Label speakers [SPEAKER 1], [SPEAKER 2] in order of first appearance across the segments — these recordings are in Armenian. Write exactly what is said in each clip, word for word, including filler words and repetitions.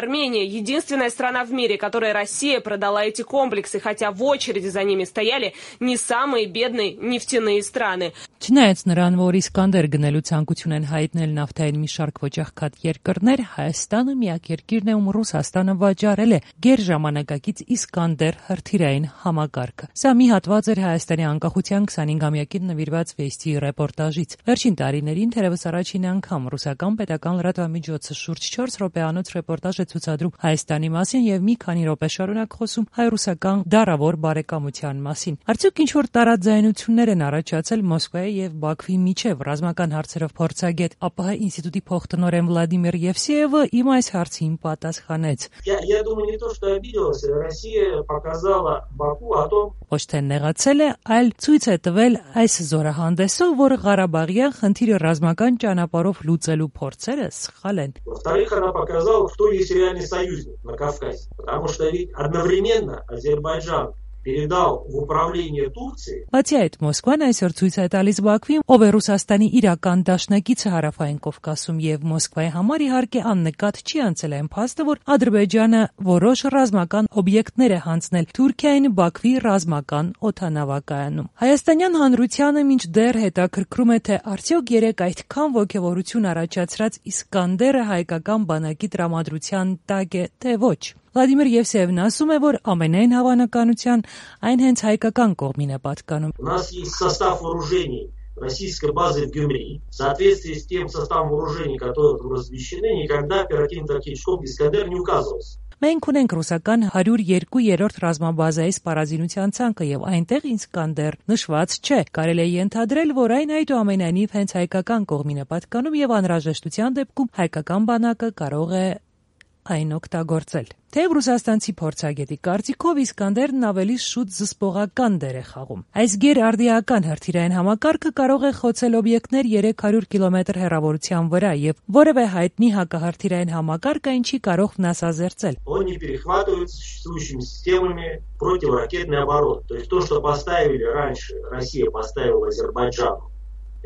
[SPEAKER 1] Армения – единственная страна в мире, которой Россия продала эти комплексы, хотя в очереди за ними стояли не самые бедные нефтяные страны.
[SPEAKER 2] Չնայած նրան, որ Իսկանդեր գնելու ցանկություն են հայտնել նավթային մի շարք ոչախքատ երկրներ, Հայաստանը միակ երկիրն է, ում Ռուսաստանը վաճառել է գերժամանակակից Իսկանդեր հրթիռային համակարգը։ Սա մի հատված էր Հայաստանի անկախության քսանհինգամյակին նվիրված վեստի ռեպորտաժից։ Վերջին տարիներին թերևս առաջին անգամ ռուսական պետական լրատվամիջոցը շուրջ չորս րոպեանոց ռեպորտաժ է ցուցադրում Հայաստանի մասին եւ մի քանի րոպե շարունակ խոսում հայ-ռուսական դարավոր բարեկամության մասին։ Արդյոք ինչ-որ տարաձայնություններ են առաջացել Մոսկվայի եւ Բաքվի միջև ռազմական հարցերով փորձագետ ԱՊՀ ինստիտուտի փոխտնօրեն Վլադիմիր Եվսեևը իմ այս հարցին պատասխանեց.
[SPEAKER 3] Я думаю, не то, что обиделась, Россия показала Баку о том,
[SPEAKER 2] Ոչ թե նեղացել է, այլ ցույց է տվել այս զորահանդեսով, որ Ղարաբաղյան խնդիրը ռազմական ճանապարհով լուծելու փորձերը սխալ են։
[SPEAKER 3] Во-вторых, она показала, кто есть реальный союзник на Кавказе, потому что ведь одновременно Азербайджан передал в управление Турции.
[SPEAKER 2] Բացի այդ, Մոսկվան այսօր ցույց է տալիս Բաքվին, ով է Ռուսաստանի իրական դաշնակիցը հարավային Կովկասում եւ Մոսկվայի համար իհարկե աննկատ չի անցել այն փաստը, որ Ադրբեջանը որոշ ռազմական օբյեկտներ է հանձնել Թուրքիային Բաքվի ռազմական օդանավակայանում։ Հայաստանյան հանրությանը մինչդեռ հետաքրքրում է, թե արդյոք երեք այդքան ոգևորություն առաջացրած Իսկանդերը հայկական բանակի տրամադրության տակ է, թե ոչ։ Վլադիմիր Եվսեևն ասում է, որ ամենայն հավանականության այն հենց հայկական կողմին է պատկանում։
[SPEAKER 3] У нас есть состав вооружений российской базы в Гюмри. В соответствии с тем составом вооружений, которые там размещены, никогда оперативно-тактический комплекс «Искандер» не указывался.
[SPEAKER 2] Մենք ունենք ռուսական հարյուր երկու-երրորդ ռազմաբազայի սպառազինության ցանկը եւ այնտեղ Իսկանդեր նշված չէ։ Կարելի է ենթադրել, որ այն այդուամենայնիվ հենց հայկական կողմին է պատկանում եւ անհրաժեշտության դեպքում հայկական բանակը կարող է այն օգտագործել։ Թեև ռուսաստանցի փորձագետի կարծիքով Իսկանդերն ավելի շուտ զսպողական դեր է խաղում։ Այս գերարդիական հրթիռային համակարգը կարող է խոցել օբյեկտներ երեք հարյուր կիլոմետր հեռավորության վրա եւ որևէ հայտնի հակահրթիռային համակարգ այն չի կարող վնասազերծել։
[SPEAKER 3] Он не перехватывается существующими системами противоракетной обороны. То есть то, что поставили раньше, Россия поставила Азербайджану,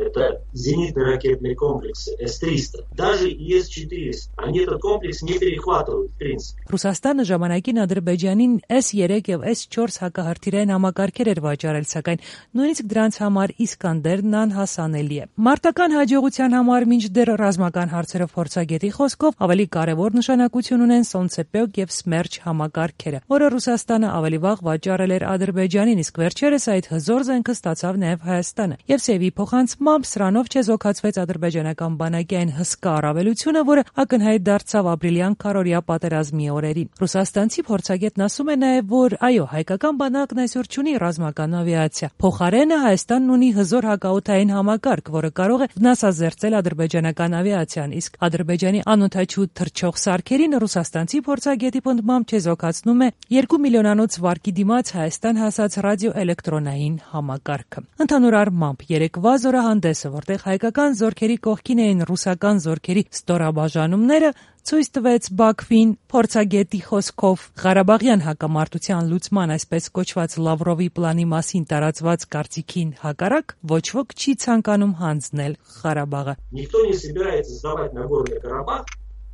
[SPEAKER 3] это зенитные ракетные комплексы эс триста, даже и эс четыреста. Они этот комплекс не перехватывают, в принципе.
[SPEAKER 2] Ռուսաստանը ժամանակին Ադրբեջանին էս երեք եւ էս չորս հակահրթիռային համակարգեր էր վաճառել, սակայն նույնիսկ դրանց համար Իսկանդերն անհասանելի է։ Մարտական հաջողության համար մինչդեռ ռազմական հարցերով փորձագետի խոսքով ավելի կարևոր նշանակություն ունեն Սոնցեպեկ եւ Սմերչ համակարգերը, որը Ռուսաստանը ավելի վաղ վաճառել էր Ադրբեջանին, իսկ վերջերս այդ հզոր զենքը ստացավ նաեւ Հայաստանը։ Եվսեևի փոխանցմամբ սրանով չեզոքացվեց ադրբեջանական բանակի այն հսկա առավելությունը, որը ակնհայտ դարձավ ապրիլյան քարորիա պատերազմի օրերին։ Ռուսաստանցի փորձագետն ասում է նաև, որ այո, հայկական բանակն այսօր չունի ռազմական ավիացիա։ Փոխարենը Հայաստանն ունի հզոր հակաօդային համակարգ, որը կարող է վնասազերծել ադրբեջանական ավիացիան, իսկ Ադրբեջանի անօդաչու թռչող սարքերին Ռուսաստանցի փորձագետի պնդմամբ չեզոքացնում է երկու միլիոնանոց վարկի դիմաց Հայաստան հասած ռադիոէլեկտրոնային համակարգը։ Ընդհանուր առմամբ երեկվա զորահանդեսը, որտեղ հայկական զորքերի կողքին էին ռուսական զորքերի ստորաբաժանումները, ցույց տվեց Բաքվին փորձագետի խոսքով Ղարաբաղյան հակամարտության լուծման այսպես կոչված Լավրովի պլանի մասին տարածված կարծիքին հակառակ ոչ ոք չի ցանկանում հանձնել Ղարաբաղը։
[SPEAKER 3] Никто не собирается сдавать Нагорный Карабах,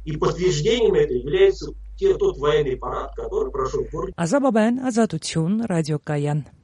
[SPEAKER 3] и подтверждением это является тот военный парад, который прошел в городе.
[SPEAKER 2] Ազատություն, Ռադիոկայան։